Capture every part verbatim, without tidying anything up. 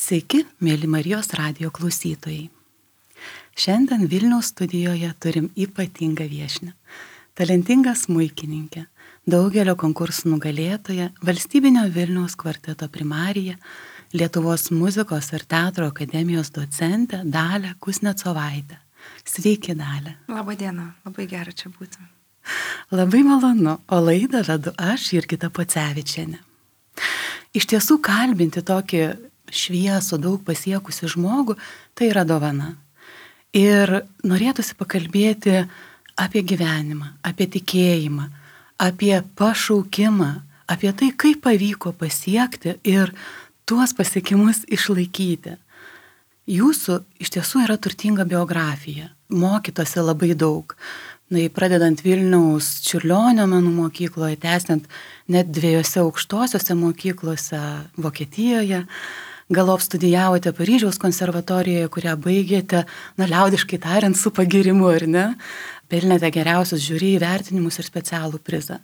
Sveiki, mėly Marijos radijo klausytojai. Šiandien Vilniaus studijoje turim ypatingą viešnią. Talentingą smuikininkę, daugelio konkursų nugalėtoją, valstybinio Vilniaus kvarteto primarija, Lietuvos muzikos ir teatro akademijos docentę Dalią Kuznecovaitę. Sveiki, Dalia. Labą dieną, labai gera čia būti. Labai malonu, o laidą vedu aš, Jurgita Pocevičienė. Iš tiesų kalbinti tokį šviesų, daug pasiekusi žmogų, tai yra dovana. Ir norėtųsi pakalbėti apie gyvenimą, apie tikėjimą, apie pašaukimą, apie tai, kaip pavyko pasiekti ir tuos pasiekimus išlaikyti. Jūsų iš tiesų yra turtinga biografija, mokytose labai daug. Na, pradedant Vilniaus Čiurlionio menų mokykloje, tęsiant net dviejose aukštosiose mokyklose Vokietijoje, galop studijavote Paryžiaus konservatorijoje, kurią baigėte, na, liaudiškai tariant, su pagirimu, ar ne? Pelnėte geriausius žiūri įvertinimus ir specialų prizą.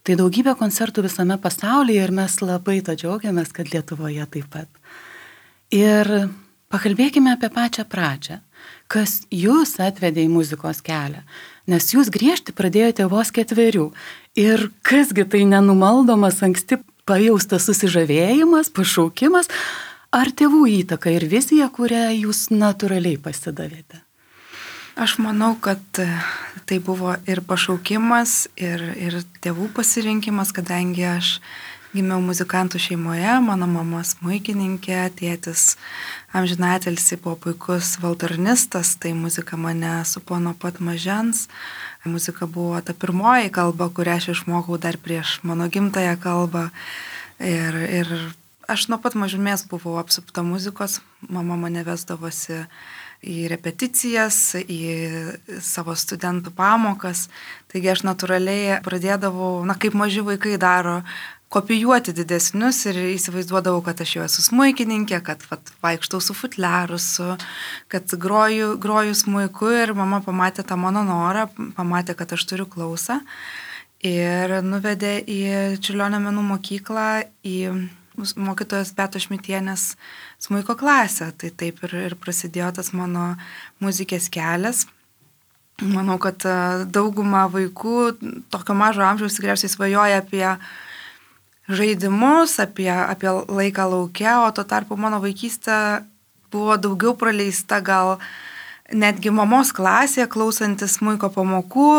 Tai daugybė koncertų visame pasaulyje ir mes labai to džiaugiamės, kad Lietuvoje taip pat. Ir pakalbėkime apie pačią pradžią. Kas jūs atvedė į muzikos kelią? Nes jūs griežti pradėjote vos ketverių. Ir kasgi tai nenumaldomas anksti pajaustas susižavėjimas, pašaukimas, ar tėvų įtaka ir vizija, kurią jūs natūraliai pasidavėte? Aš manau, kad tai buvo ir pašaukimas, ir, ir tėvų pasirinkimas, kadangi aš gimiau muzikantų šeimoje, mano mama smuikininkė, tėtis amžinatelis buvo puikus valtornistas, tai muzika mane supo nuo pat mažens. Muzika buvo ta pirmoji kalba, kurią aš išmokau dar prieš mano gimtąją kalbą. Ir, ir aš nuo pat mažumės buvau apsupta muzikos, mama mane vesdavosi į repeticijas, į savo studentų pamokas. Taigi aš natūraliai pradėdavau, na kaip maži vaikai daro, kopijuoti didesnius ir įsivaizduodavau, kad aš jau esu smuikininkė, kad vat, vaikštau su futliaru, su, kad groju, groju smuiku ir mama pamatė tą mano norą, pamatė, kad aš turiu klausą ir nuvedė į Čiurlionio menų mokyklą, į mokytojos Beatos Šmitienės smuiko klasę. Tai taip ir, ir prasidėjo tas mano muzikės kelias. Manau, kad dauguma vaikų tokio mažo amžiaus tikriausiai svajoja apie žaidimus, apie, apie laiką lauke, o tuo tarpu mano vaikystė buvo daugiau praleista gal netgi mamos klasėje, klausantis smuiko pamokų.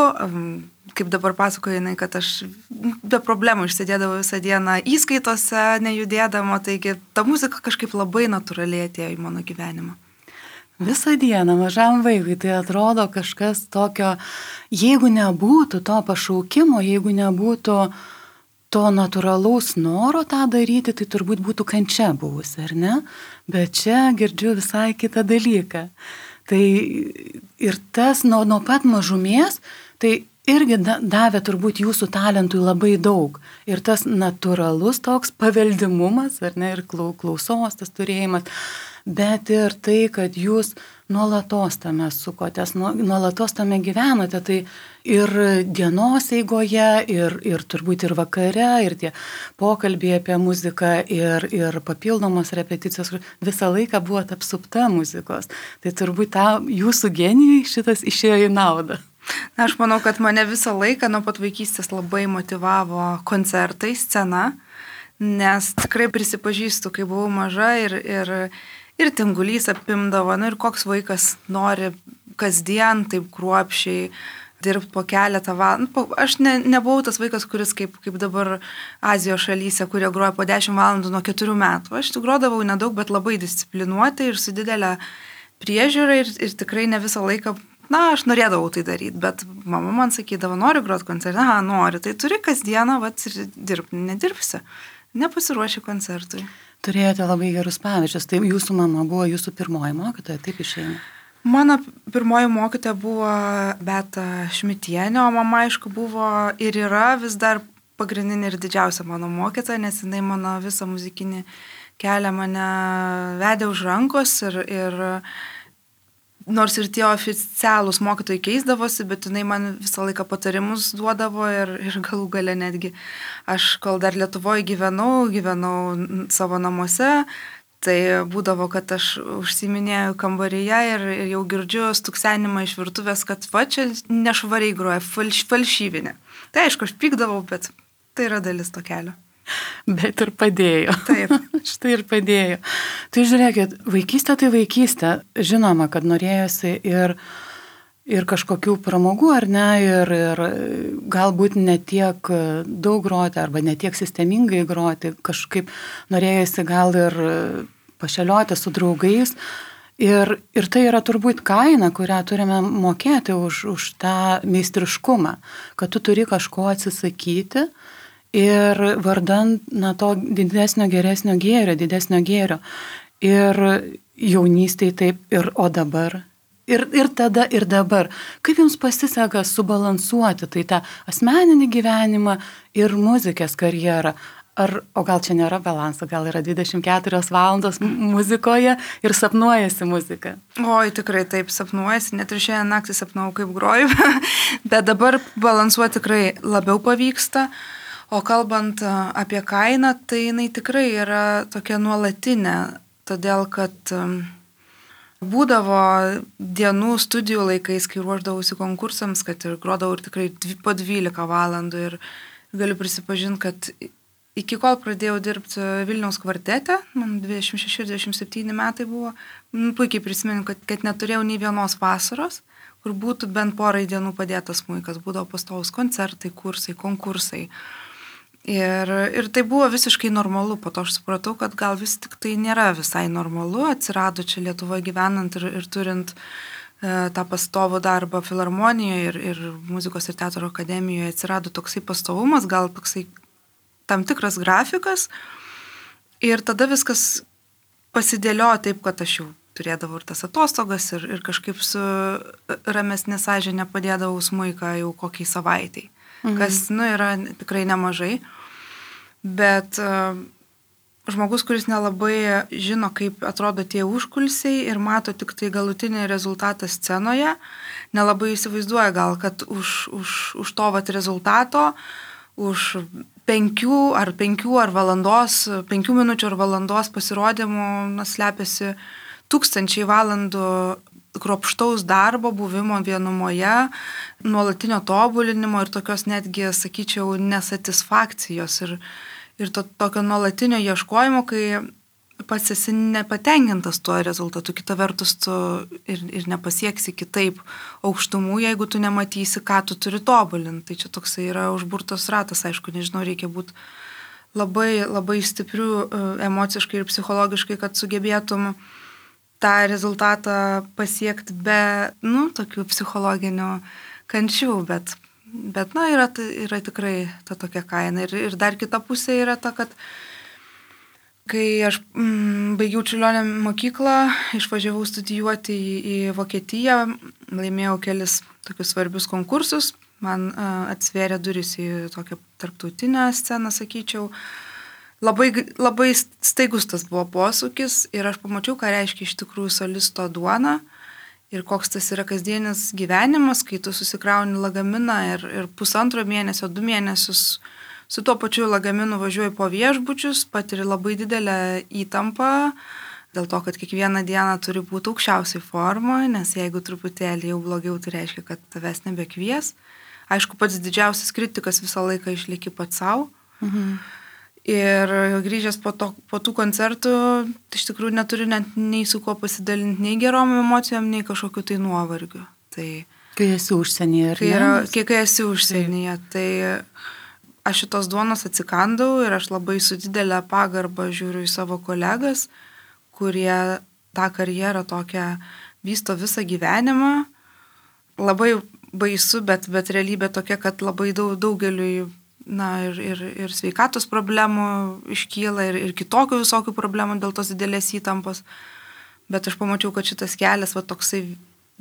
Kaip dabar pasakoju, jinai, kad aš be problemų išsėdėdavau visą dieną įskaitose, nejudėdama, taigi ta muzika kažkaip labai natūraliai atėjo į mano gyvenimą. Visą dieną mažam vaikui tai atrodo kažkas tokio, jeigu nebūtų to pašaukimo, jeigu nebūtų to natūralaus noro tą daryti, tai turbūt būtų kančia buvusi, ar ne? Bet čia girdžiu visai kitą dalyką. Tai ir tas nuo, nuo pat mažumės, tai irgi davė turbūt jūsų talentui labai daug. Ir tas natūralus toks paveldimumas, ar ne, ir klausos tas turėjimas, bet ir tai, kad jūs nuolatos tame sukotės, nuolatos tame gyvenote, tai ir dienos eigoje, ir, ir turbūt ir vakare, ir tie pokalbiai apie muziką, ir, ir papildomos repeticijos, visą laiką buvot apsupta muzikos. Tai turbūt ta jūsų genijai šitas išėjo į naudą. Na, aš manau, kad mane visą laiką nuo pat vaikystės labai motyvavo koncertai, scena, nes tikrai prisipažįstu, kai buvau maža ir, ir, ir tingulys apimdavo, na ir koks vaikas nori kasdien taip kruopščiai dirbti po keletą valandų. Aš ne, nebuvau tas vaikas, kuris kaip, kaip dabar Azijos šalyse, kurie groja po dešimt valandų nuo keturių metų. Aš tik grodavau nedaug, bet labai disciplinuotai ir su didelė priežiūra ir, ir tikrai ne visą laiką. Na, aš norėdavau tai daryti, bet mama man sakydavo, nori groti koncertą, aha, nori, tai turi kasdieną, vat, ir dirbti, nedirbsi, nepasiruoši koncertui. Turėjote labai gerus pavyzdžius, tai jūsų mama buvo jūsų pirmoji mokytoja, taip išeina? Mano pirmoji mokytoja buvo Beata Šmitienė, o mama, aišku, buvo ir yra vis dar pagrindinė ir didžiausia mano mokytoja, nes jinai mano visą muzikinį kelią mane vedė už rankos ir, ir nors ir tie oficialūs mokytojai keisdavosi, bet jinai man visą laiką patarimus duodavo ir, ir galų gale netgi aš, kol dar Lietuvoje gyvenau, gyvenau savo namuose, Tai būdavo, kad aš užsiminėjau kambaryje ir, ir jau girdžiu stuksenimą iš virtuvės, kad va čia nešvariai groja, falš, falšyvinė. Tai aišku, aš pykdavau, bet tai yra dalis to kelio. Bet ir padėjo. Taip. Štai ir padėjo. Tai žiūrėkit, vaikystė tai vaikystė. Žinoma, kad norėjosi ir, ir kažkokių pramogų, ar ne, ir, ir galbūt ne tiek daug groti, arba ne tiek sistemingai groti. Kažkaip norėjosi gal ir pašelioti su draugais. Ir, ir tai yra turbūt kaina, kurią turime mokėti už, už tą meistriškumą, kad tu turi kažko atsisakyti ir vardan na, to didesnio, geresnio gėrio, didesnio gėrio. Ir jaunystėje taip, ir o dabar. Ir, ir tada, ir dabar. Kaip jums pasiseka subalansuoti tai tą asmeninį gyvenimą ir muzikės karjerą? Ar, o gal čia nėra balanso, gal yra dvidešimt keturios valandos muzikoje ir sapnuojasi muzika? Oi, tikrai taip sapnuojasi, net ir šiandien naktį sapnau, kaip groju, bet dabar balansuoti tikrai labiau pavyksta. O kalbant apie kainą, tai jinai tikrai yra tokia nuolatinė, todėl kad būdavo dienų studijų laikais, kai ruoždavausi konkursams, kad ir grodavau ir tikrai po dvylika valandų ir galiu prisipažinti, kad iki kol pradėjau dirbti Vilniaus kvartete, man dvidešimt šeši dvidešimt septyni metai buvo, puikiai prisimenu, kad, kad neturėjau nei vienos vasaros, kur būtų bent porai dienų padėtas smuikas, būdavo pastovus koncertai, kursai, konkursai. Ir, ir tai buvo visiškai normalu, po to aš supratau, kad gal vis tik tai nėra visai normalu, atsirado čia Lietuvoje gyvenant ir, ir turint e, tą pastovų darbą filharmonijoje ir, ir muzikos ir teatro akademijoje, atsirado toksai pastovumas, gal toksai tam tikras grafikas ir tada viskas pasidėliojo taip, kad aš jau turėdavau ir tas atostogas ir, ir kažkaip su ramesnė sąžinė padėdavau smuiką jau kokiai savaitai, mhm. kas, nu, yra tikrai nemažai, bet uh, žmogus, kuris nelabai žino, kaip atrodo tie užkulisiai ir mato tik tai galutinį rezultatą scenoje, nelabai įsivaizduoja gal, kad už, už, už to vat rezultato, už penkių ar penkių ar valandos, penkių minučių ar valandos pasirodymų na, slepiasi tūkstančiai valandų kruopštaus darbo, buvimo vienumoje, nuolatinio tobulinimo ir tokios netgi, sakyčiau, nesatisfakcijos ir, ir to, tokio nuolatinio ieškojimo, kai pats esi nepatenkintas tuo rezultatu, kita vertus tu ir, ir nepasieksi kitaip aukštumų, jeigu tu nematysi, ką tu turi tobulinti. Tai čia toksai yra užburtos ratas, aišku, nežinau, reikia būti labai, labai stiprių emociškai ir psichologiškai, kad sugebėtum tą rezultatą pasiekti be, nu, tokių psichologinių kančių, bet, bet na, yra, yra tikrai ta tokia kaina. Ir, ir dar kita pusė yra ta, kad kai aš mm, baigiau Čiurlionio mokyklą, išvažiavau studijuoti į, į Vokietiją, laimėjau kelis tokius svarbius konkursus, man uh, atsvėrė duris į tokią tarptautinę sceną, sakyčiau. Labai, labai staigus tas buvo posūkis ir aš pamačiau, ką reiškia iš tikrųjų solisto duona ir koks tas yra kasdienis gyvenimas, kai tu susikrauni lagaminą ir, ir pusantro mėnesio, du mėnesius su tuo pačiu lagaminu važiuoju po viešbučius, patiri labai didelę įtampą, dėl to, kad kiekvieną dieną turi būti aukščiausiai formoje, nes jeigu truputėlį jau blogiau, tai reiškia, kad tavęs nebekvies. Aišku, pats didžiausias kritikas visą laiką išlieki pats savo. Mhm. Ir grįžęs po, to, po tų koncertų, iš tikrųjų neturiu net nei su kuo pasidalinti, nei gerom emocijom, nei kažkokiu tai nuovargiu. Tai, kai esi užsienyje, ar kai ne? Yra, kai, kai esi užsienyje, tai aš šitos duonos atsikandau ir aš labai su didelė pagarba žiūriu į savo kolegas, kurie tą karjerą tokią vysto visą gyvenimą. Labai baisu, bet, bet realybė tokia, kad labai daug, daugeliui na, ir, ir, ir sveikatos problemų iškyla ir, ir kitokių visokių problemų dėl tos didelės įtampos. Bet aš pamačiau, kad šitas kelias va, toksai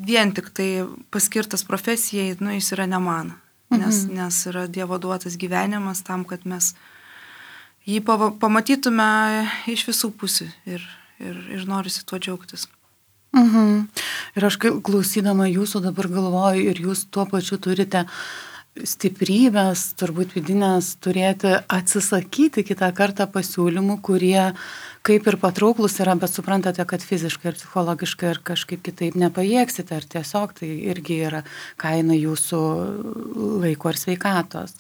vien tik tai paskirtas profesijai, nu, jis yra ne man. Nes, mhm. nes yra Dievo duotas gyvenimas tam, kad mes jį pamatytume iš visų pusių ir, ir, ir norisi tuo džiaugtis. Mhm. Ir aš klausydama jūsų dabar galvoju ir jūs tuo pačiu turite stiprybės, turbūt vidinės, turėti atsisakyti kitą kartą pasiūlymų, kurie kaip ir patrauklus yra, bet suprantate, kad fiziškai ir psichologiškai ir kažkaip kitaip nepajėgsite, ar tiesiog tai irgi yra kaina jūsų laiko ir sveikatos.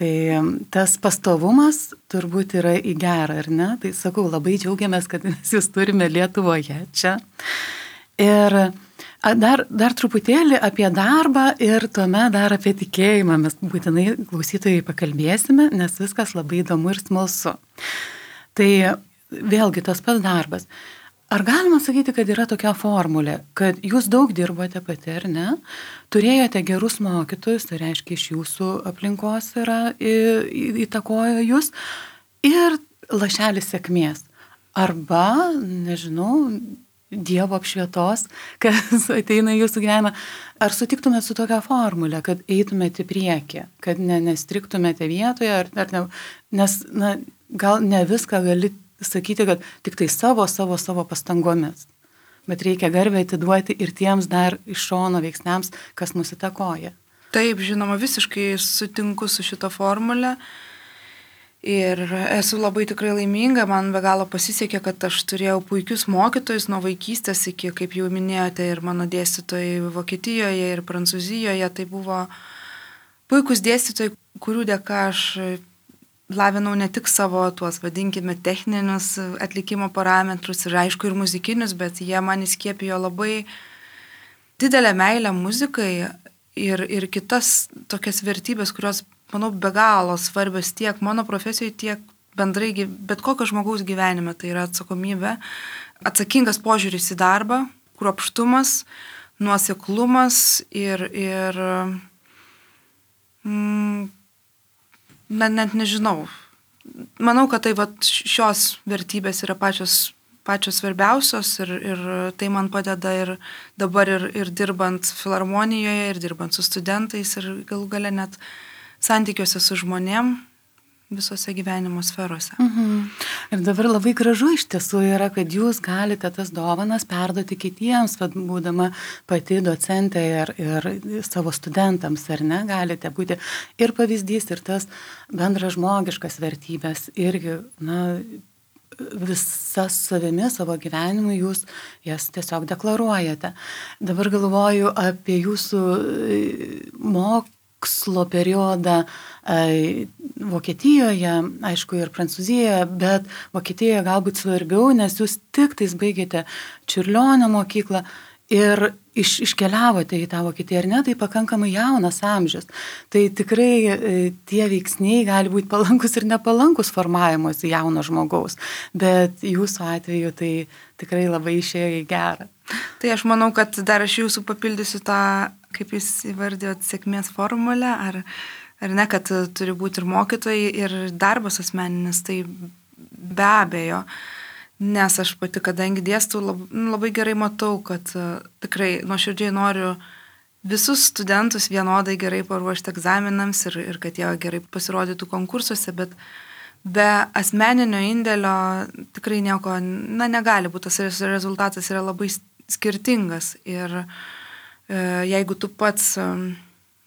Tai tas pastovumas turbūt yra į gerą, ar ne? Tai sakau, labai džiaugiamės, kad mes jūs turime Lietuvoje čia. Ir dar, dar truputėlį apie darbą ir tuomet dar apie tikėjimą. Mes būtinai klausytojai pakalbėsime, nes viskas labai įdomu ir smalsu. Tai vėlgi tas pats darbas. Ar galima sakyti, kad yra tokia formulė, kad jūs daug dirbote pati, ar ne? Turėjote gerus mokytojus, tai reiškia iš jūsų aplinkos yra įtakojo jūs, ir lašelis sėkmės. Arba, nežinau, Dievo apšvietos, kas ateina į jūsų gyvenimą. Ar sutiktumėte su tokia formulė, kad eitumėte į priekį, kad ne, nestriktumėte vietoje, ar, ar ne, nes na, gal ne viską gali sakyti, kad tik tai savo, savo, savo pastangomis, bet reikia garbę atiduoti ir tiems dar iš šono veiksniams, kas mus įtakoja. Taip, žinoma, visiškai sutinku su šito formulė. Ir esu labai tikrai laiminga, man be galo pasisekė, kad aš turėjau puikius mokytojus nuo vaikystės iki, kaip jau minėjote, ir mano dėstytojai Vokietijoje ir Prancūzijoje. Tai buvo puikus dėstytojai, kurių dėka aš lavinau ne tik savo tuos, vadinkime, techninius atlikimo parametrus ir aišku ir muzikinius, bet jie man įskiepijo labai didelę meilę muzikai ir, ir kitas tokias vertybės, kurios manau, be galo svarbios tiek mano profesijoje, tiek bendrai bet kokio žmogaus gyvenime. Tai yra atsakomybė, atsakingas požiūris į darbą, kruopštumas, nuoseklumas ir, ir mm, net, net nežinau. Manau, kad tai vat, šios vertybės yra pačios, pačios svarbiausios ir, ir tai man padeda ir dabar ir, ir dirbant filharmonijoje, ir dirbant su studentais ir galų gale net santykiuose su žmonėm visose gyvenimo sferose. Mhm. Ir dabar labai gražu iš tiesų yra, kad jūs galite tas dovanas perduoti kitiems, vad būdama pati docentė ir, ir savo studentams, ar ne, galite būti ir pavyzdys, ir tas bendras žmogiškas vertybės, irgi, na, visas savimi, savo gyvenimu jūs jas tiesiog deklaruojate. Dabar galvoju apie jūsų mokymą, mokslo periodą e, Vokietijoje, aišku, ir Prancūzijoje, bet Vokietijoje galbūt svarbiau, nes jūs tik tais baigėte Čiurlionio mokyklą ir iš, iškeliavote į tą Vokietiją, ar ne, tai pakankamai jaunas amžius. Tai tikrai e, tie veiksniai gali būti palankus ir nepalankus formavimuose jauno žmogaus, bet jūsų atveju tai tikrai labai išėjo į gerą. Tai aš manau, kad dar aš jūsų papildysiu tą, kaip jūs įvardėjot, sėkmės formulę, ar, ar ne, kad turi būti ir mokytojai, ir darbas asmeninis, tai be abejo. Nes aš pati, kadangi dėstau, labai, labai gerai matau, kad tikrai nuoširdžiai noriu visus studentus vienodai gerai paruošti egzaminams ir, ir kad jie gerai pasirodytų konkursuose, bet be asmeninio indėlio tikrai nieko, na, negali būti, tas rezultatas yra labai skirtingas ir e, jeigu tu pats e,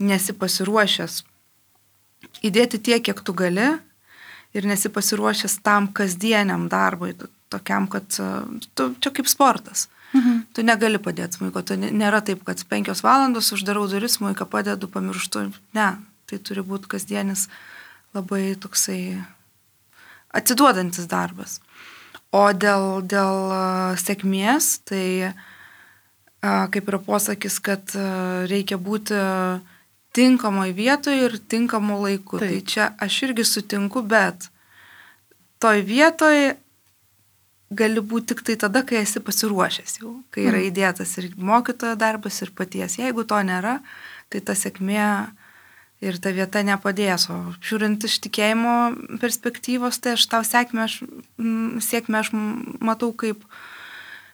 nesi pasiruošęs įdėti tiek, kiek tu gali ir nesi pasiruošęs tam kasdieniam darbui, tokiam, kad tu, čia kaip sportas. Mhm. Tu negali padėti smuiko, tu nėra taip, kad penkios valandos uždarau duris, smuiką padedu, pamirštu. Ne, tai turi būti kasdienis labai toksai atsiduodantis darbas. O dėl, dėl sėkmės, tai kaip yra posakis, kad reikia būti tinkamoje vietoje ir tinkamu laiku. Taip. Tai čia aš irgi sutinku, bet toj vietoje gali būti tik tai tada, kai esi pasiruošęs jau, kai yra įdėtas ir mokytojo darbas, ir paties. Jeigu to nėra, tai ta sėkmė ir ta vieta nepadės. O žiūrint iš tikėjimo perspektyvos, tai aš tau sėkmę aš, sėkmę aš matau kaip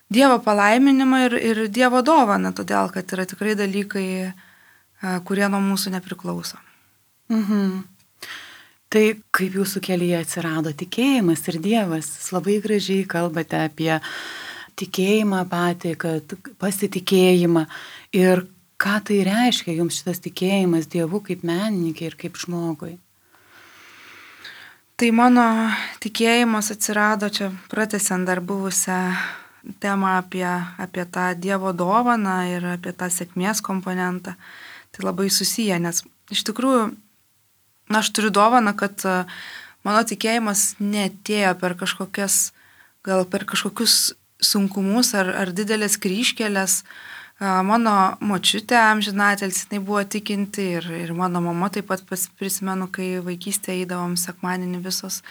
Dievo palaiminimą ir, ir Dievo dovaną, todėl kad yra tikrai dalykai, kurie nuo mūsų nepriklauso. Mhm. Tai kaip jūsų kelyje atsirado tikėjimas ir Dievas, jūs labai gražiai kalbate apie tikėjimą patį, kad pasitikėjimą ir ką tai reiškia jums šitas tikėjimas Dievu kaip menininkė ir kaip žmogui? Tai mano tikėjimas atsirado čia pratęsiant dar buvusią temą apie, apie tą Dievo dovaną ir apie tą sėkmės komponentą. Tai labai susiję, nes iš tikrųjų, na, aš turiu dovaną, kad mano tikėjimas neatėjo per kažkokias, gal per kažkokius sunkumus ar, ar didelės kryžkelės. Mano močiutė amžinatelis, jinai buvo tikinti ir, ir mano mama taip pat prisimenu, kai vaikystėje eidavom sekmadienį visos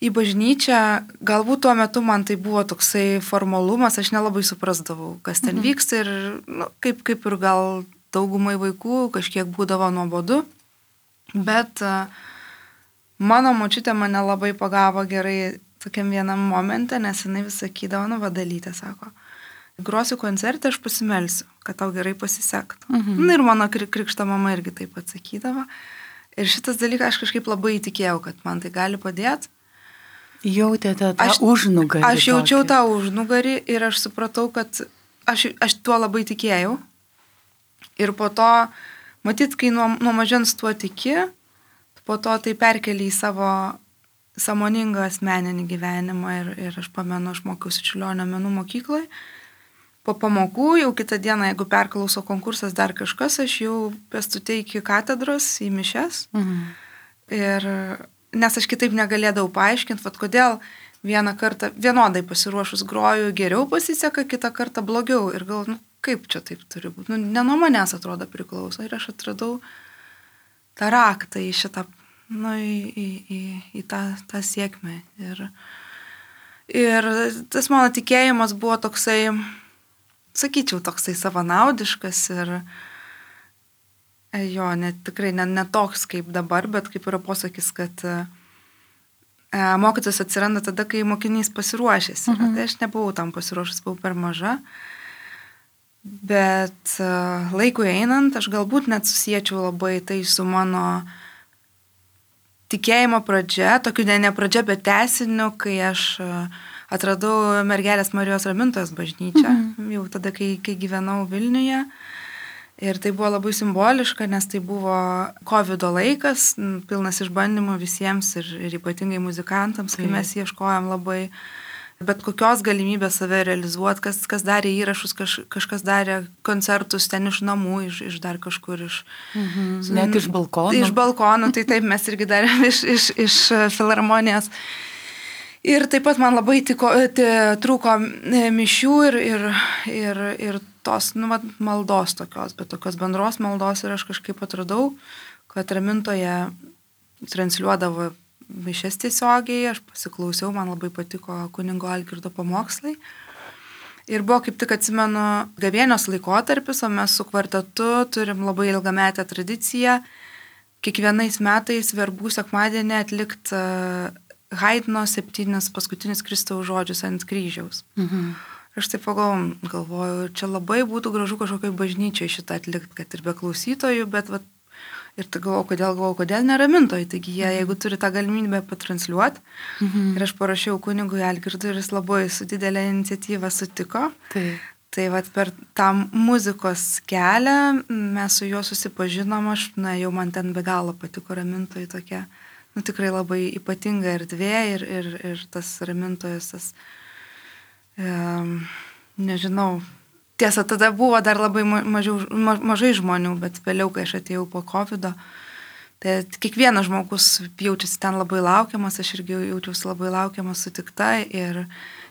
į bažnyčią. Galbūt tuo metu man tai buvo toksai formalumas, aš nelabai suprasdavau, kas ten mhm. vyksta ir nu, kaip, kaip ir gal daugumai vaikų kažkiek būdavo nuobodu. Bet mano močiutė mane labai pagavo gerai tokiam vienam momente, nes jinai vis sakydavo, nu vadalytė, sako, grosiu koncertą, aš pasimelsiu, kad tau gerai pasisektų. Mhm. Na ir mano krikšto mama irgi taip atsakydavo. Ir šitas dalykas aš kažkaip labai įtikėjau, kad man tai gali padėti. Jautėte tą aš, užnugarį. Aš jaučiau tokį. tą užnugarį ir aš supratau, kad aš, aš tuo labai tikėjau. Ir po to, matyt, kai nuo, nuo mažens tuo tiki, po to tai perkeli į savo sąmoningą asmeninį gyvenimą. Ir, ir aš pamenu, aš mokiausi Čiurlionio menų mokykloje. Po pamokų, jau kitą dieną, jeigu perklauso konkursas dar kažkas, aš jau pėstute iki katedros, į mišes. Mhm. Ir, nes aš kitaip negalėdavau paaiškinti, vat kodėl vieną kartą vienodai pasiruošus groju geriau pasiseka, kitą kartą blogiau. Ir gal, nu, kaip čia taip turi būti? Nu, ne nuo manęs atrodo priklauso. Ir aš atradau tą raktą į šitą, nu, į, į, į, į tą, tą sėkmę. Ir, ir tas mano tikėjimas buvo toksai, sakyčiau, toksai savanaudiškas ir jo, net, tikrai ne, ne toks kaip dabar, bet kaip yra posakis, kad e, mokytojas atsiranda tada, kai mokinys pasiruošęs. Mhm. Tai aš nebuvau tam pasiruošęs, buvau per maža. Bet e, laikui einant, aš galbūt net susiečiau labai tai su mano tikėjimo pradžia, tokiu ne, ne pradžia, bet tęsiniu, kai aš e, atradau Mergelės Marijos Ramintojos bažnyčią, mhm. jau tada, kai, kai gyvenau Vilniuje. Ir tai buvo labai simboliška, nes tai buvo kovido laikas, pilnas išbandymų visiems ir, ir ypatingai muzikantams, kai mes ieškojom labai bet kokios galimybės save realizuoti, kas, kas darė įrašus, kaž, kažkas darė koncertus ten iš namų, iš, iš dar kažkur iš... Mhm. Net iš balkonų. Iš balkonų, tai taip mes irgi darėm iš, iš, iš filharmonijos. Ir taip pat man labai tiko, trūko mišių ir, ir, ir, ir tos nu, maldos tokios, bet tokios bendros maldos ir aš kažkaip atradau, kad Ramintoje transliuodavo mišias tiesiogiai, aš pasiklausiau, man labai patiko kunigo Algirdo pamokslai. Ir buvo kaip tik atsimenu gavėnios laikotarpis, o mes su kvartetu turim labai ilgametę tradiciją kiekvienais metais verbų sekmadienį atlikti Haidno septynis paskutinius Kristaus žodžius ant kryžiaus. Mhm. Aš taip pagalvoju, galvoju, čia labai būtų gražu kažkokiai bažnyčiai šitą atlikti, kad ir be klausytojų, bet vat, ir tai galvoju, kodėl, galvoju, kodėl neramintojai, taigi jie, jeigu turi tą galimybę patransliuoti, mhm. ir aš parašiau kunigui Algirdui ir jis labai su didelė iniciatyva sutiko. Tai, tai vat per tą muzikos kelią mes su juo susipažinom, aš, na, jau man ten be galo patiko Ramintojai tokia. Nu, tikrai labai ypatinga erdvė ir, ir, ir tas Ramintojas, tas, um, nežinau, tiesa, tada buvo dar labai mažiau, ma, mažai žmonių, bet vėliau, kai aš atėjau po kovido, tai kiekvienas žmogus jaučiasi ten labai laukiamas, aš irgi jaučiausi labai laukiamas, sutikta ir,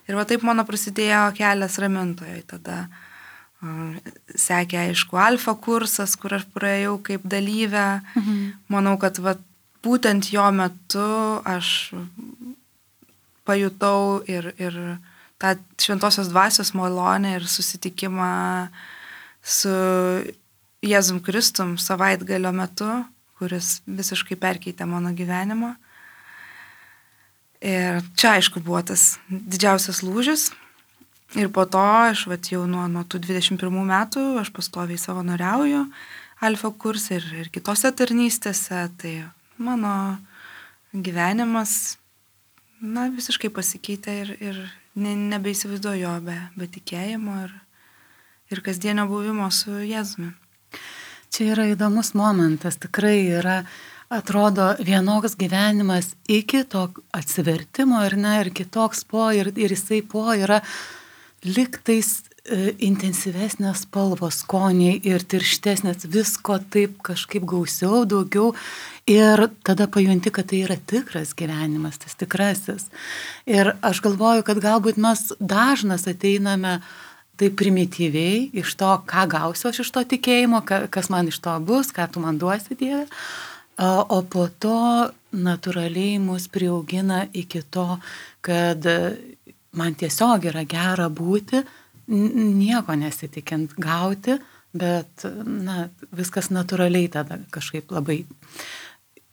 ir va taip mano prasidėjo kelias Ramintoje. Tada um, sekė, aišku, alfa kursas, kur aš praėjau kaip dalyvę. Mhm. Manau, kad va, būtent jo metu aš pajutau ir, ir tą šventosios dvasios malonę ir susitikimą su Jėzum Kristum savaitgalio metu, kuris visiškai perkeitė mano gyvenimą. Ir čia, aišku, buvo tas didžiausias lūžis. Ir po to aš vat, jau nuo, nuo tų dvidešimt pirmų metų aš pastoviai savanoriauju alfa kurse ir, ir kitose tarnystėse. Tai mano gyvenimas, na, visiškai pasikeitė ir, ir ne, nebeįsivaizduoju jo be, be tikėjimo ir, ir kasdienio buvimo su Jėzumi. Čia yra įdomus momentas, tikrai yra, atrodo, vienoks gyvenimas iki to atsivertimo ir ne, ir kitoks po, ir, ir jisai po yra liktais e, intensyvesnės spalvos, skoniai ir tirštesnės, visko taip kažkaip gausiau, daugiau ir tada pajunti, kad tai yra tikras gyvenimas, tas tikrasis. Ir aš galvoju, kad galbūt mes dažnas ateiname taip primityviai iš to, ką gausiu aš iš to tikėjimo, kas man iš to bus, ką tu man duosi, Dieve. O po to natūraliai mus priaugina iki to, kad man tiesiog yra gera būti, nieko nesitikint gauti, bet na, viskas natūraliai tada kažkaip labai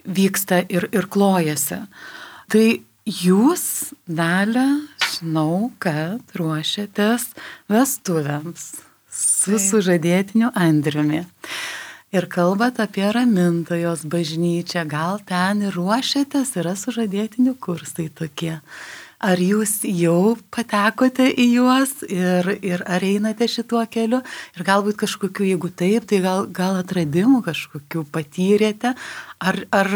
vyksta ir, ir klojasi. Tai jūs, Dalia, žinau, kad ruošiatės vestuvėms su sužadėtiniu Andriumi. Ir kalbat apie Ramintojos bažnyčią, gal ten ir ruošiatės, yra sužadėtinių kursai tokie. Ar jūs jau patekote į juos ir, ir ar einate šituo keliu? Ir galbūt kažkokiu, jeigu taip, tai gal, gal atradimų kažkokiu patyrėte? Ar, ar,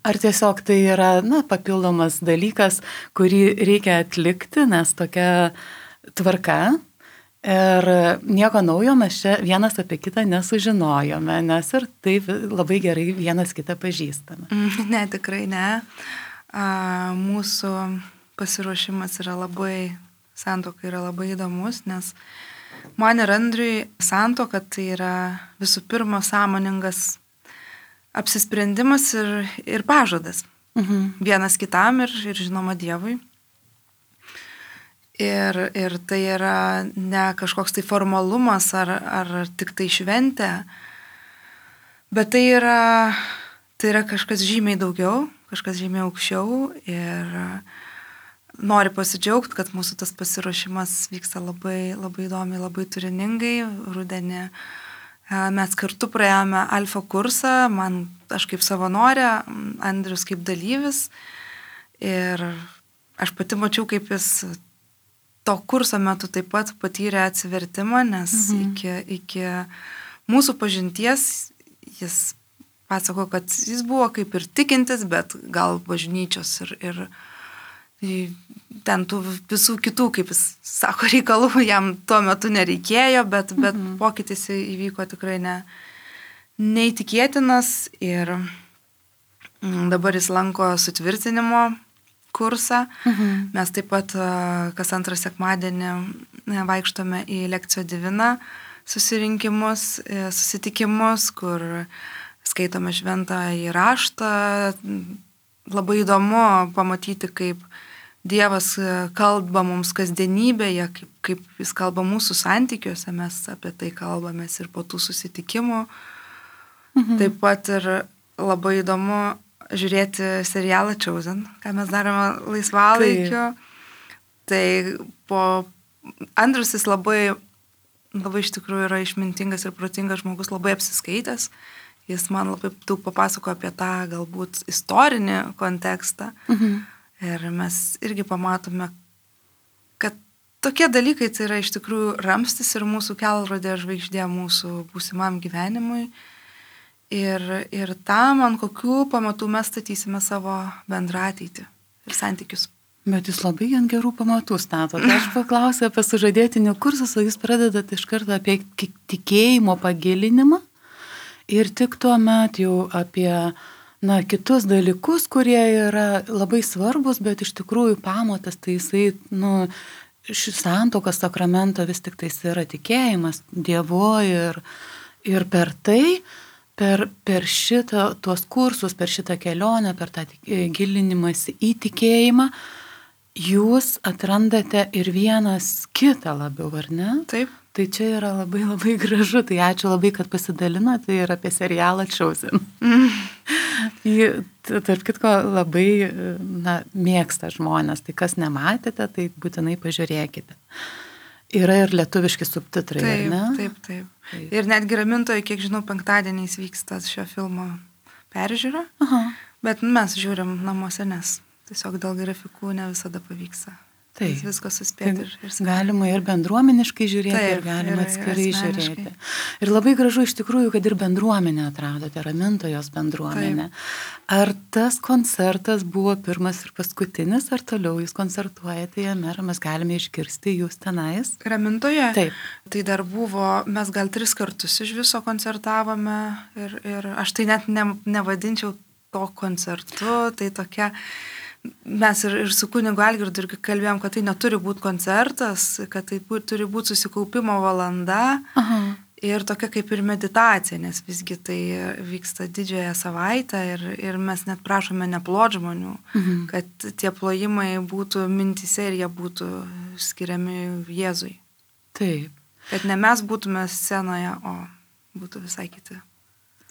ar tiesiog tai yra na, papildomas dalykas, kurį reikia atlikti, nes tokia tvarka? Ir nieko naujo mes čia vienas apie kitą nesužinojome, nes ir taip labai gerai vienas kitą pažįstame. Ne, tikrai ne. A, mūsų pasiruošimas yra labai, santuoka yra labai įdomus, nes man ir Andriui santuoka tai yra visų pirma sąmoningas apsisprendimas ir, ir pažadas. Mhm. Vienas kitam ir, ir žinoma Dievui. Ir, ir tai yra ne kažkoks tai formalumas ar, ar tik tai šventė, bet tai yra, tai yra kažkas žymiai daugiau, kažkas žymiai aukščiau ir noriu pasidžiaugti, kad mūsų tas pasiruošimas vyksta labai, labai įdomiai, labai turiningai. Rudenį mes kartu praėjome alfa kursą, man aš kaip savanorė, Andrius kaip dalyvis ir aš pati mačiau, kaip jis to kurso metu taip pat patyrė atsivertimą, nes mhm. iki, iki mūsų pažinties jis pasako, kad jis buvo kaip ir tikintis, bet gal bažnyčios ir, ir ten tų visų kitų, kaip jis sako, reikalų jam tuo metu nereikėjo, bet, mhm. bet pokytis įvyko tikrai ne, neįtikėtinas ir dabar jis lanko sutvirtinimo kursą. Mhm. Mes taip pat kas antrą sekmadienį vaikštome į Lekcio Divina susirinkimus, susitikimus, kur skaitome šventąjį raštą. Labai įdomu pamatyti, kaip Dievas kalba mums kasdienybėje, kaip, kaip jis kalba mūsų santykiuose, mes apie tai kalbamės ir po tų susitikimų. Mhm. Taip pat ir labai įdomu žiūrėti serialą Chosen, ką mes darome laisvalaikiu. Tai, tai po Andrius jis labai, labai iš tikrųjų yra išmintingas ir protingas žmogus, labai apsiskaitęs. Jis man labai daug papasako apie tą galbūt istorinį kontekstą. Mhm. Ir mes irgi pamatome, kad tokie dalykai tai yra iš tikrųjų ramstis ir mūsų kelrodė žvaigždė mūsų būsimam gyvenimui. Ir, ir tam, ant kokių pamatų mes statysime savo bendrą ateitį ir santykius. Bet jūs labai ant gerų pamatų statote. Aš paklausiu apie sužadėtinių kursus, o jūs pradedate iš karto apie tikėjimo pagilinimą ir tik tuo met jau apie na, kitus dalykus, kurie yra labai svarbus, bet iš tikrųjų pamatas, tai jisai, nu, šis santuokos sakramento vis tik tai yra tikėjimas Dievu ir, ir per tai, Per, per šitą, tuos kursus, per šitą kelionę, per tą gilinimąsi į tikėjimą, jūs atrandate ir vienas kitą labiau, ar ne? Taip. Tai čia yra labai labai gražu, tai ačiū labai, kad pasidalinote ir apie serialą Chosen. Mm. Tarp kitko labai na, mėgsta žmonės, tai kas nematėte, tai būtinai pažiūrėkite. Yra ir lietuviški subtitrai, taip, ar ne? Taip, taip. taip. Ir netgi Ramintoje, kiek žinau, penktadieniais vyksta šio filmo peržiūra, Aha. bet mes žiūrim namuose, nes tiesiog dėl grafikų ne visada pavyksta. Taip. Viską suspėti. Ir, ir galima ir bendruomeniškai žiūrėti, taip, ir galima atskirai žiūrėti. Ir labai gražu iš tikrųjų, kad ir bendruomenę atradote, Ramintojos bendruomenę. Taip. Ar tas koncertas buvo pirmas ir paskutinis, ar toliau jūs koncertuojate jame, ar mes galime išgirsti jūs tenais? Ramintoje? Taip. Tai dar buvo, mes gal tris kartus iš viso koncertavome ir, ir aš tai net ne, nevadinčiau to koncertu, tai tokia... Mes ir, ir su kunigu Algirdu irgi kalbėjom, kad tai neturi būti koncertas, kad tai būt, turi būti susikaupimo valanda. Aha. Ir tokia kaip ir meditacija, nes visgi tai vyksta didžiąją savaitę ir, ir mes net prašome neplot žmonių, mhm. kad tie plojimai būtų mintise ir jie būtų skiriami Jėzui. Taip. Kad ne mes būtume scenoje, o būtų visai kiti.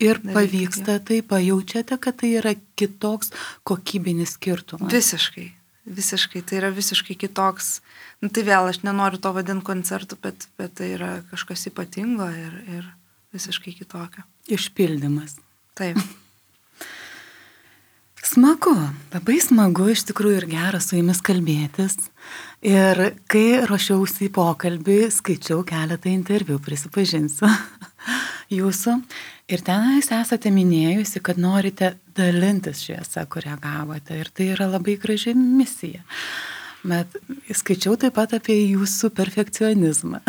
Ir pavyksta tai, pajaučiate, kad tai yra kitoks kokybinis skirtumas? Visiškai, visiškai, tai yra visiškai kitoks. Nu, tai vėl, aš nenoriu to vadinti koncertu, bet, bet tai yra kažkas ypatingo ir, ir visiškai kitokio. Išpildymas. Taip. Smagu, labai smagu iš tikrųjų ir gera su jumis kalbėtis. Ir kai ruošiausi į pokalbį, skaičiau keletą interviu, prisipažinsiu, jūsų. Ir ten jūs esate minėjusi, kad norite dalintis šviesą, kurią gavote. Ir tai yra labai graži misija. Bet skaičiau taip pat apie jūsų perfekcionizmą.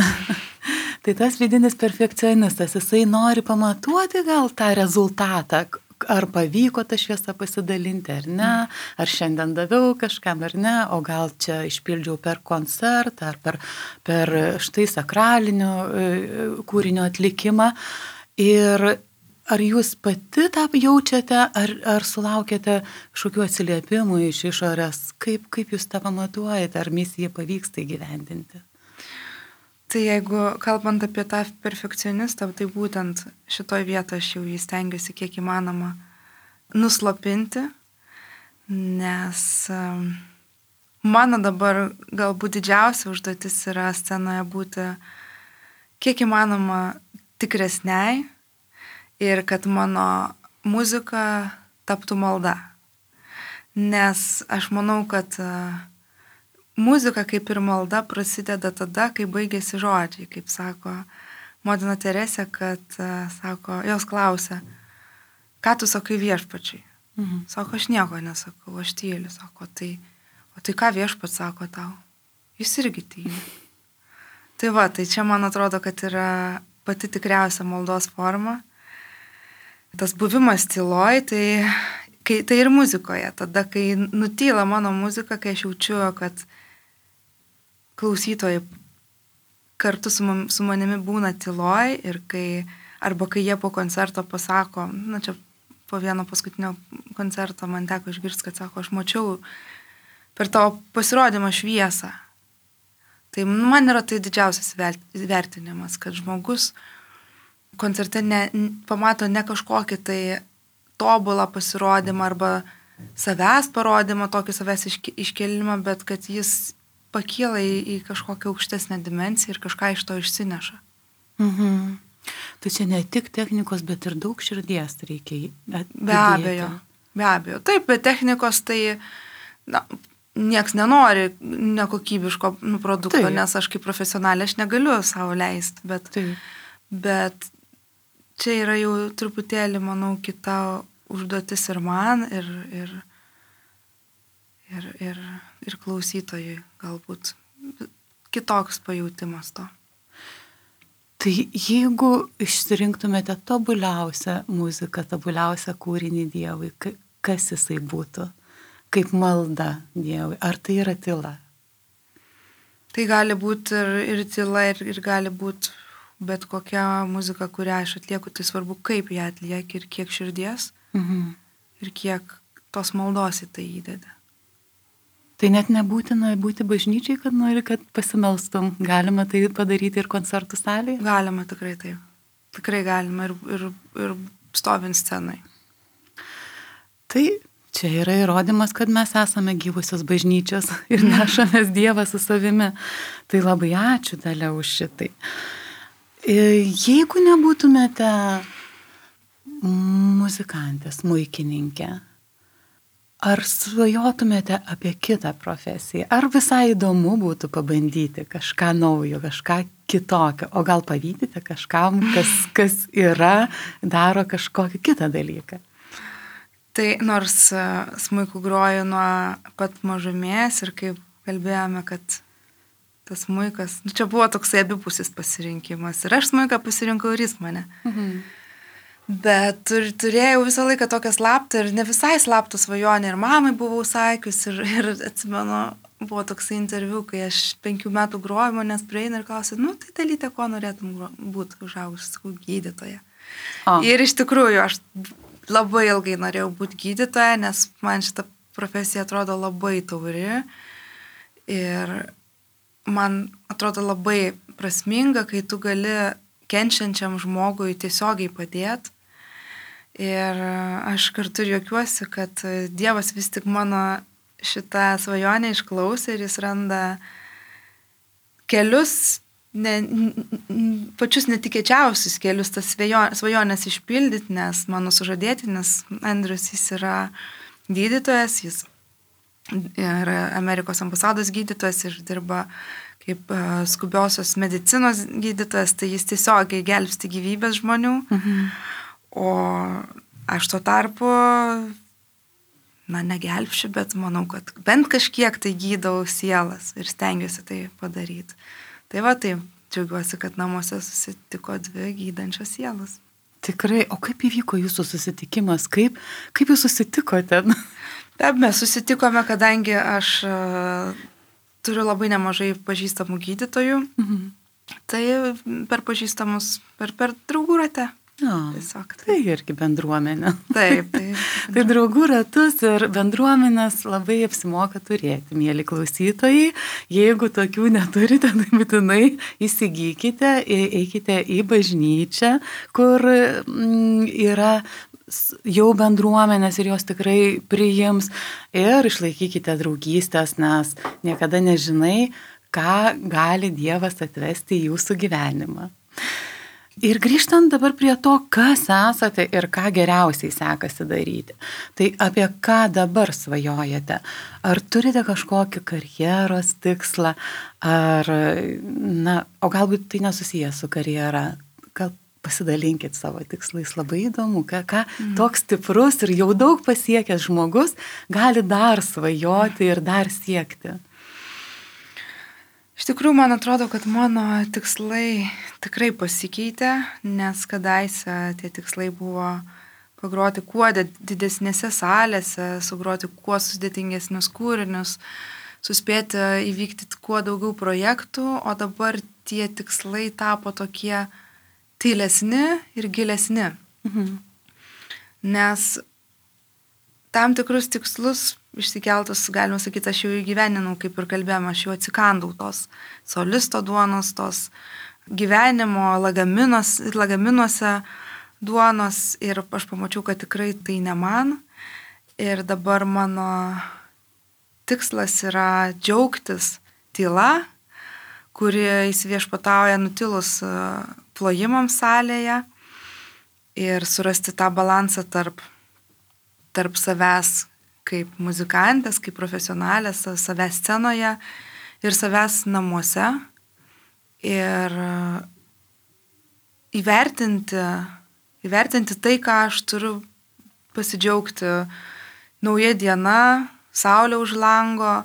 Tai tas vidinis perfekcionistas, jisai nori pamatuoti gal tą rezultatą, ar pavyko tą šviesą pasidalinti, ar ne, ar šiandien daviau kažkam, ar ne, o gal čia išpildžiau per koncertą, ar per, per štai sakralinio kūrinio atlikimą. Ir ar jūs pati tą jaučiate, ar, ar sulaukėte kažkokių atsiliepimų iš išorės, kaip, kaip jūs tą pamatuojate, ar misiją pavyksta įgyvendinti? Tai jeigu kalbant apie tą perfekcionistą, tai būtent šitoj vietoje aš jau jį stengiuosi kiek įmanoma nuslopinti, nes mano dabar galbūt didžiausia užduotis yra scenoje būti kiek įmanoma tikresniai ir kad mano muzika taptų malda. Nes aš manau, kad muzika kaip ir malda prasideda tada, kai baigėsi žodžiai, kaip sako Motina Teresė, kad sako, jos klausia, ką tu sakai viešpačiui? Mhm. Sako, aš nieko nesakau, aš tyliu, sako, tai, o tai ką viešpats sako tau? Jis irgi tyli. Tai va, tai čia man atrodo, kad yra pati tikriausia maldos forma. Tas buvimas tyloj, tai, kai, tai ir muzikoje. Tada, kai nutyla mano muzika, kai aš jaučiu, kad klausytojai kartu su, man, su manimi būna tyloj ir kai, arba kai jie po koncerto pasako, na čia po vieno paskutinio koncerto man teko išgirsti, kad sako, aš mačiau per tavo pasirodymą šviesą. Tai man yra tai didžiausias vertinimas, kad žmogus koncerte ne, pamato ne kažkokį tai tobulą pasirodymą arba savęs parodymą, tokį savęs iškelimą, bet kad jis pakyla į, į kažkokią aukštesnę dimensiją ir kažką iš to išsineša. Mhm. Tai čia ne tik technikos, bet ir daug širdies reikia įdėti. Be abejo, be abejo. Taip, bet technikos tai na, nieks nenori nekokybiško nu, produkto, taip. Nes aš kaip profesionalė aš negaliu savo leisti, bet, bet čia yra jau truputėlį, manau, kita užduotis ir man, ir, ir, ir, ir, ir klausytojui galbūt kitoks pajautimas to. Tai jeigu išsirinktumėte tobuliausią muziką, tobuliausią kūrinį Dievui, kas jisai būtų? Kaip malda Dievui? Ar tai yra tyla? Tai gali būti ir, ir tyla, ir, ir gali būti bet kokia muzika, kurią aš atlieku, tai svarbu, kaip ją atlieki ir kiek širdies, mhm. ir kiek tos maldos į tai įdeda. Tai net nebūtina būti bažnyčiai, kad nori, kad pasimelstum. Galima tai padaryti ir koncertų salėje? Galima, tikrai taip. Tikrai galima ir, ir, ir stovint scenai. Tai čia yra įrodymas, kad mes esame gyvusios bažnyčios ir nešamės Dievą su savimi. Tai labai ačiū, Dalia, už šitai. Jeigu nebūtumėte muzikantė, smuikininkė, ar svajotumėte apie kitą profesiją? Ar visai įdomu būtų pabandyti kažką naujo, kažką kitokio? O gal pavydite kažkam, kas, kas yra, daro kažkokį kitą dalyką? Tai nors smuiku groju nuo pat mažumės ir kaip kalbėjome, kad tas smuikas, nu, čia buvo toksai abipusis pasirinkimas. Ir aš smuiką pasirinkau ir jis mane. Mhm. Bet tur, turėjau visą laiką tokią slaptą ir ne visai slaptą svajonę ir mamai buvau sakius ir, ir atsimenu, buvo toksai interviu, kai aš penkių metų groju, manęs prieina ir klausė, nu tai Dalyte, ko norėtum būti užaugus, sakau, gydytoja. O. Ir iš tikrųjų aš labai ilgai norėjau būti gydytoja, nes man šita profesija atrodo labai tauri ir man atrodo labai prasminga, kai tu gali kenčiančiam žmogui tiesiogiai padėti. Ir aš kartu juokiuosi, kad Dievas vis tik mano šitą svajonę išklausė ir jis randa kelius, ne, pačius netikėčiausius kelius tas svajonės išpildyti, nes mano sužadėtinis Andrius, jis yra gydytojas, jis yra Amerikos ambasados gydytojas ir dirba kaip skubiosios medicinos gydytojas, tai jis tiesiogiai gelbsti gyvybės žmonių. Mhm. O aš tuo tarpu, na, negelbšiu, bet manau, kad bent kažkiek tai gydau sielas ir stengiuosi tai padaryti. Tai va, tai džiaugiuosi, kad namuose susitiko dvi gydančios sielas. Tikrai, o kaip įvyko jūsų susitikimas? Kaip, kaip jūs susitikote? Taip, mes susitikome, kadangi aš turiu labai nemažai pažįstamų gydytojų, mhm. tai per pažįstamus, per, per draugų ratę. O, Tiesiog, tai. tai irgi bendruomenė. Taip, taip. Tai draugų ratus ir bendruomenės labai apsimoka turėti, mėly klausytojai. Jeigu tokių neturite, tai būtinai įsigykite, eikite į bažnyčią, kur yra jau bendruomenės ir jos tikrai priims ir išlaikykite draugystės, nes niekada nežinai, ką gali Dievas atvesti į jūsų gyvenimą. Ir grįžtant dabar prie to, kas esate ir ką geriausiai sekasi daryti. Tai apie ką dabar svajojate? Ar turite kažkokį karjeros tikslą? Ar, na, o galbūt tai nesusijęs su karjera? Gal pasidalinkit savo tikslais, labai įdomu, ką, ką mm. toks stiprus ir jau daug pasiekęs žmogus gali dar svajoti ir dar siekti. Iš tikrųjų, man atrodo, kad mano tikslai tikrai pasikeitė, nes kadaise tie tikslai buvo pagroti kuo didesnėse salėse, sugroti kuo sudėtingesnius kūrinius, suspėti įvykti kuo daugiau projektų, o dabar tie tikslai tapo tokie tylesni ir gilesni. Mhm. Nes tam tikrus tikslus išsikeltus, galima sakyti, aš jau įgyveninau, kaip ir kalbėjome, aš jau atsikandau tos solisto duonos, tos gyvenimo lagaminuose duonos ir aš pamačiau, kad tikrai tai ne man. Ir dabar mano tikslas yra džiaugtis tyla, kuri įsiviešpatauja nutilus plojimams salėje ir surasti tą balansą tarp, tarp savęs kaip muzikantės, kaip profesionalės, savęs scenoje ir savęs namuose. Ir įvertinti, įvertinti tai, ką aš turiu pasidžiaugti nauja diena, saulė už lango,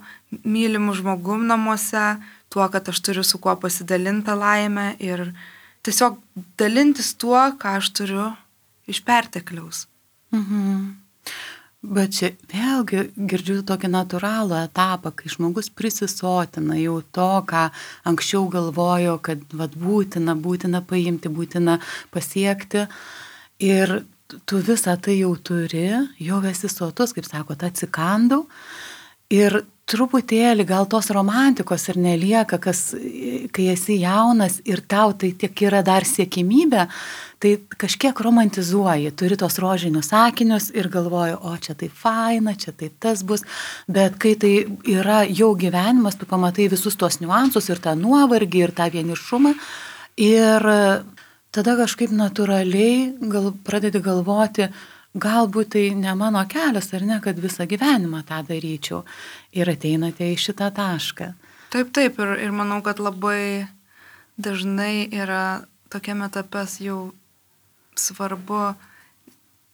mylimų žmogum namuose, tuo, kad aš turiu su kuo pasidalinti laimę ir tiesiog dalintis tuo, ką aš turiu iš pertekliaus. Mhm. Bet čia vėlgi girdžiu tokį natūralų etapą, kai žmogus prisisotina jau to, ką anksčiau galvojo, kad vat, būtina, būtina paimti, būtina pasiekti. Ir tu visą tai jau turi, jau esi sotus, kaip sakot, atsikandau. Ir truputėlį gal tos romantikos ir nelieka, kas, kai esi jaunas ir tau tai tiek yra dar siekimybė, tai kažkiek romantizuoji, turi tos rožinius sakinius ir galvoji, o čia tai faina, čia tai tas bus, bet kai tai yra jau gyvenimas, tu pamatai visus tos niuansus ir tą nuovargį ir tą vienišumą ir tada kažkaip natūraliai gal, pradedi galvoti, galbūt tai ne mano kelias, ar ne, kad visą gyvenimą tą daryčiau. Ir ateinate į šitą tašką. Taip, taip, ir, ir manau, kad labai dažnai yra tokiame etape jau svarbu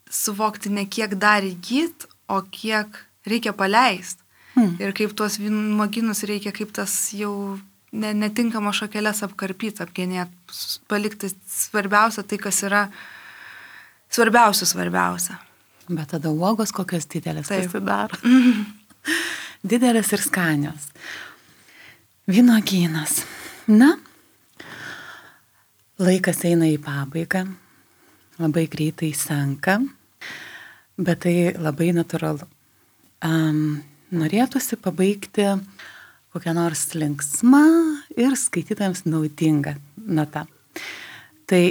suvokti ne kiek dar įgyt, o kiek reikia paleisti. Hmm. Ir kaip tuos vynuogynus reikia, kaip tas jau ne, netinkama šakelės apkarpyti, apgenėti, palikti svarbiausia tai, kas yra svarbiausia, svarbiausia. Bet tada uogos kokios didelės Taip. pasidaro. Didelės ir skanios. Vynuogynas. Na, laikas eina į pabaigą, labai greitai senka, bet tai labai natūralu. Um, norėtųsi pabaigti kokią nors linksmą ir skaitytojams naudingą natą. Tai,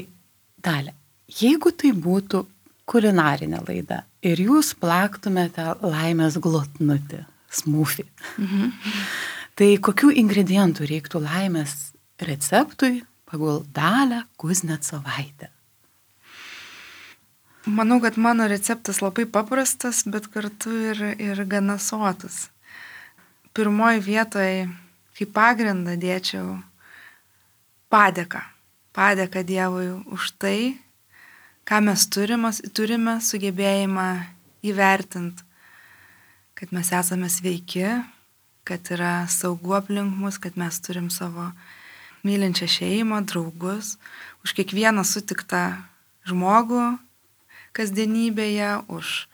Dalia, jeigu tai būtų kulinarinė laida ir jūs plaktumėte laimės glotnutį, smūfį, mhm. tai kokių ingredientų reiktų laimės receptui pagal Dalią Kuznecovaitę? Manau, kad mano receptas labai paprastas, bet kartu ir, ir gana sotus. Pirmoji vietoje, kaip pagrindą dėčiau padėką. Padėką Dievui už tai, ką mes turime, turime sugebėjimą įvertinti, kad mes esame sveiki, kad yra saugu aplink mus, kad mes turim savo mylinčią šeimą, draugus, už kiekvieną sutiktą žmogų kasdienybėje, už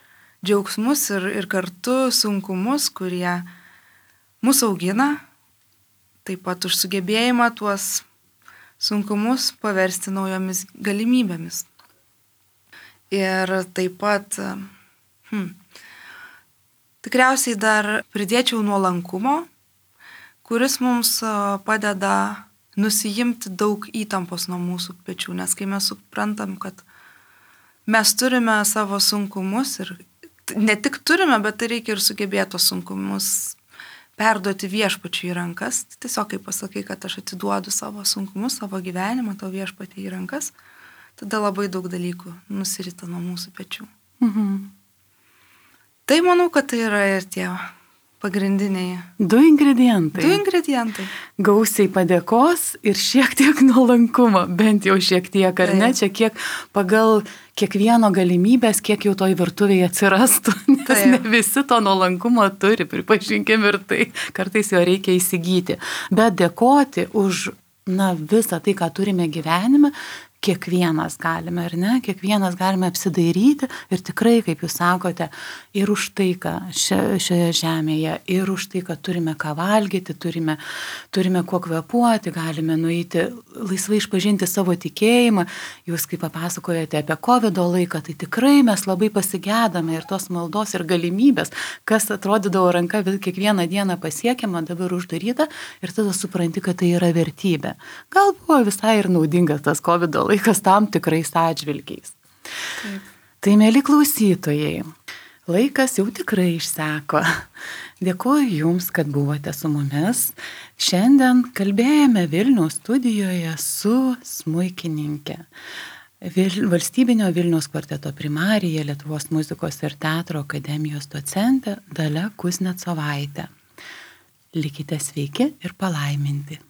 džiaugsmus ir, ir kartu sunkumus, kurie mūsų augina, taip pat už sugebėjimą tuos sunkumus paversti naujomis galimybėmis. Ir taip pat, hmm, tikriausiai dar pridėčiau nuolankumo, kuris mums padeda nusijimti daug įtampos nuo mūsų pečių, nes kai mes suprantam, kad mes turime savo sunkumus ir ne tik turime, bet tai reikia ir sugebėti tos sunkumus perduoti viešpačiui į rankas. Tiesiog kaip pasakai, kad aš atiduodu savo sunkumus, savo gyvenimą, tavo viešpatį į rankas, tada labai daug dalykų nusirita nuo mūsų pečių. Mhm. Tai manau, kad tai yra ir tie pagrindiniai. Du ingredientai. Du ingredientai. Gausiai padėkos ir šiek tiek nuolankumo, bent jau šiek tiek, ar ne? Čia kiek pagal kiekvieno galimybės, kiek jau toj virtuvėje atsirastų, nes Taip. Ne visi to nuolankumo turi, pripažinkim ir tai, kartais jo reikia įsigyti. Bet dėkoti už, na, visą tai, ką turime gyvenime, kiekvienas galime, ar ne? Kiekvienas galime apsidairyti ir tikrai, kaip jūs sakote, ir už tai, ką šioje žemėje, ir už tai, kad turime ką valgyti, turime, turime kuo kvepuoti, galime nueiti, laisvai išpažinti savo tikėjimą. Jūs, kaip papasakojate apie kovido laiką, tai tikrai mes labai pasigedame ir tos maldos ir galimybės, kas atrodydavo ranka kiekvieną dieną pasiekiama, dabar uždaryta ir tada supranti, kad tai yra vertybė. Gal buvo visai ir naudingas tas kovido laikas tam tikrais atžvilgiais. Taip. Tai, mėly klausytojai, laikas jau tikrai išseko. Dėkuoju Jums, kad buvote su mumis. Šiandien kalbėjome Vilniaus studijoje su smuikininkė, Vil, valstybinio Vilniaus kvarteto primarija, Lietuvos muzikos ir teatro akademijos docentė Dalia Kuznecovaitė. Likite sveiki ir palaiminti.